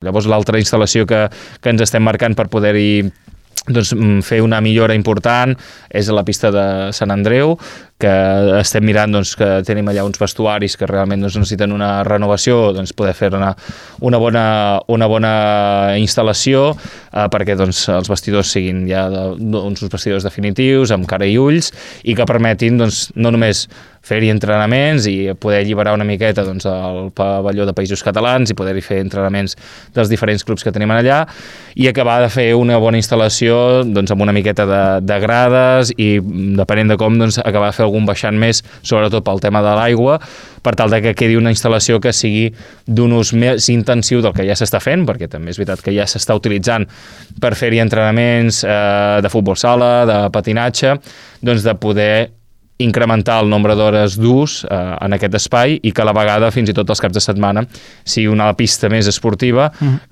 Llavors l'altra instal·lació que ens estem marcant per poder-hi fer una millora important és a la pista de Sant Andreu, que estem mirant que tenim allà uns vestuaris que realment necessiten una renovació, poder fer una bona instal·lació perquè els vestidors siguin ja uns vestidors definitius, amb cara i ulls, i que permetin no només fer-hi entrenaments i poder alliberar una miqueta el pavelló de Països Catalans i poder-hi fer entrenaments dels diferents clubs que tenim allà, i acabar de fer una bona instal·lació amb una miqueta de grades i, depenent de com, acabar de fer algun baixant més, sobretot pel tema de l'aigua, per tal que quedi una instal·lació que sigui d'un ús més intensiu del que ja s'està fent, perquè també és veritat que ja s'està utilitzant per fer-hi entrenaments de futbol sala, de patinatge, de poder incrementar el nombre d'hores d'ús en aquest espai i que a la vegada, fins i tot els caps de setmana, sigui una pista més esportiva